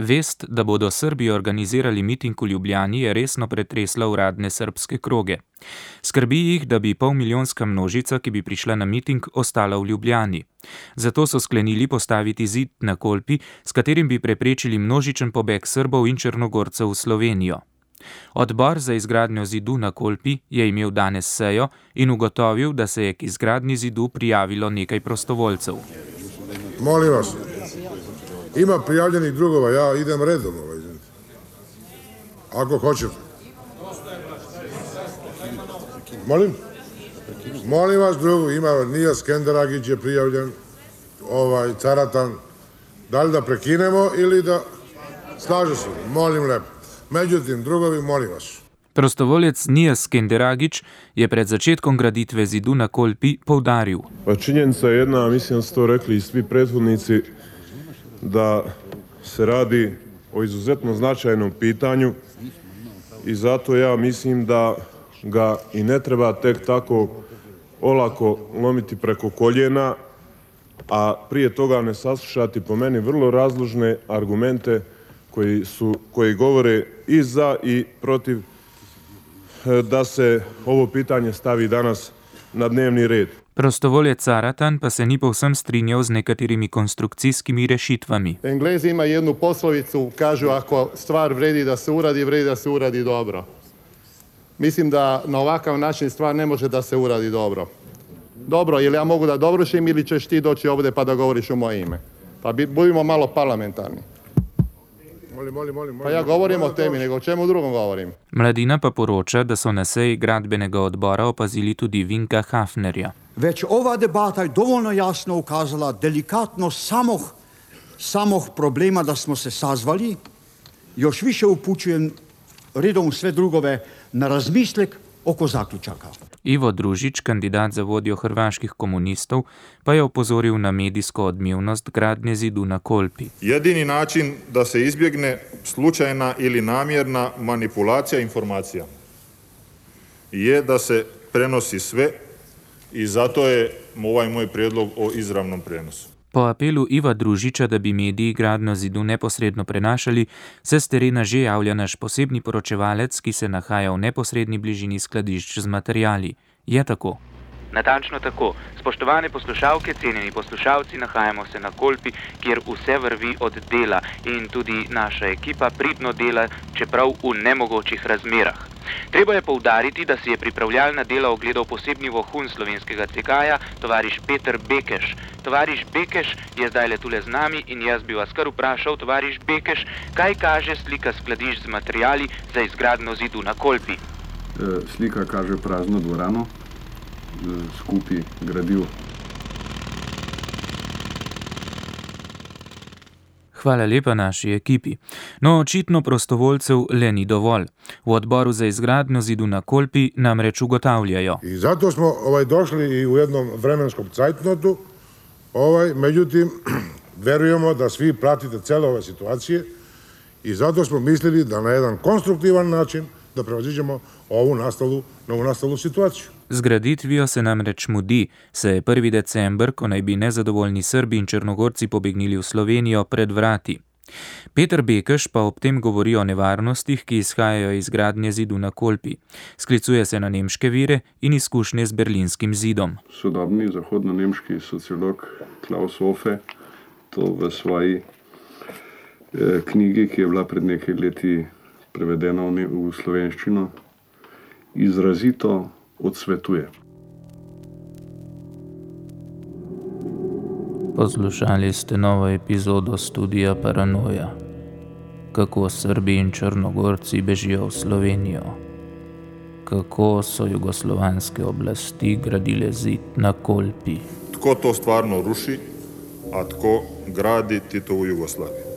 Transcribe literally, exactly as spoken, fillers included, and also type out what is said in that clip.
Vest, da bodo Srbi organizirali miting v Ljubljani, je resno pretresla uradne srbske kroge. Skrbi jih, da bi polmilijonska množica, ki bi prišla na miting, ostala v Ljubljani. Zato so sklenili postaviti zid na Kolpi, s katerim bi preprečili množičen pobeg Srbov in Črnogorcev v Slovenijo. Odbor za izgradnjo zidu na Kolpi je imel danes sejo in ugotovil, da se je k izgradnji zidu prijavilo nekaj prostovoljcev. Molim vas, ima prijavljenih drugova, ja idem redom. Ovaj, ako hoćete. Molim? Molim vas drugu, ima Nija Skenderagić je prijavljen, ovaj, Caratan. Da li da prekinemo ili da slaže se? Molim lepo. Međutim, drugovi, molim vas. Prostovoljec Nija Skenderagić je pred začetkom graditve zidu na Kolpi poudaril. Pa činjenica je jedna, mislim da su to rekli i svi prethodnici, da se radi o izuzetno značajnom pitanju i zato ja mislim da ga i ne treba tek tako olako lomiti preko koljena, a prije toga ne saslušati po meni vrlo razložne argumente koji su, koji govore i za i protiv da se ovo pitanje stavi danas na dnevni red. Prostovoljec Caratan pa se ni povsem strinjal z nekaterimi konstrukcijskimi rešitvami. Englezi ima jednu poslovicu, kažu ako stvar vredi da se uradi, vredi da se uradi dobro. Mislim da na ovakav način stvar ne može da se uradi dobro. Dobro, ili ja mogu da dovršim ili ćeš ti doći ovdje pa da govoriš u moje ime. Pa budimo malo parlamentarni. Molim, molim, molim, pa ja govorim o temi, nego o čemu drugom govorim. Mladina pa poroča, da so na seji gradbenega odbora opazili tudi Vinka Hafnerja. Već ova debata je dovoljno jasno ukazala delikatnost samog, samog problema da smo se sazvali. Još više upućujem redom sve drugove na razmislek oko zaključaka. Ivo Družić, kandidat za vodjo hrvaških komunistov, pa je opozoril na medijsko odmevnost gradnje zidu na Kolpi. Jedini način da se izbjegne slučajna ili namjerna manipulacija informacija je da se prenosi sve i zato je ovaj moj prijedlog o izravnom prenosu. Po apelu Iva Družiča, da bi mediji gradnjo zidu neposredno prenašali, se s terena že javlja naš posebni poročevalec, ki se nahaja v neposredni bližini skladišč z materiali. Je tako? Natančno tako. Spoštovane poslušalke, cenjeni poslušalci, nahajamo se na Kolpi, kjer vse vrvi od dela in tudi naša ekipa pridno dela, čeprav v nemogočih razmerah. Treba je poudariti, da si je pripravljalna dela ogledal posebni vohun slovenskega C K-ja, tovariš Peter Bekeš. Tovariš Bekeš je zdaj le tule z nami in jaz bi vas kar vprašal, tovariš Bekeš, kaj kaže slika skladišč z materiali za izgradnjo zidu na Kolpi? E, slika kaže prazno dvorano, skupaj gradiv. Hvala lepa naši ekipi. No, očitno prostovoljcev le ni dovolj. V odboru za izgradnjo zidu na Kolpi namreč ugotavljajo. I zato smo ovaj, došli i u jednom vremenskom cajtnotu, ovaj, međutim, verujemo da svi pratite cele ove situacije i zato smo mislili da na jedan konstruktivan način da prevaziđemo ovu nastalu, novu nastalu situaciju. Z graditvijo se namreč mudi, se je prvi december, ko naj bi nezadovoljni Srbi in Črnogorci pobegnili v Slovenijo, pred vrati. Peter Bekeš pa ob tem govori o nevarnostih, ki izhajajo iz gradnje zidu na Kolpi. Sklicuje se na nemške vire in izkušnje z berlinskim zidom. Sodobni zahodno-nemški sociolog Klaus Hofe to v svoji eh, knjigi, ki je bila pred nekaj leti prevedena v slovenščino, izrazito odsvetuje. Poslušali ste novo epizodo Studija Paranoja. Kako Srbi in Črnogorci bežijo v Slovenijo. Kako so jugoslovanske oblasti gradile zid na Kolpi. Tko to stvarno ruši, a tko gradi Titovu Jugoslaviju.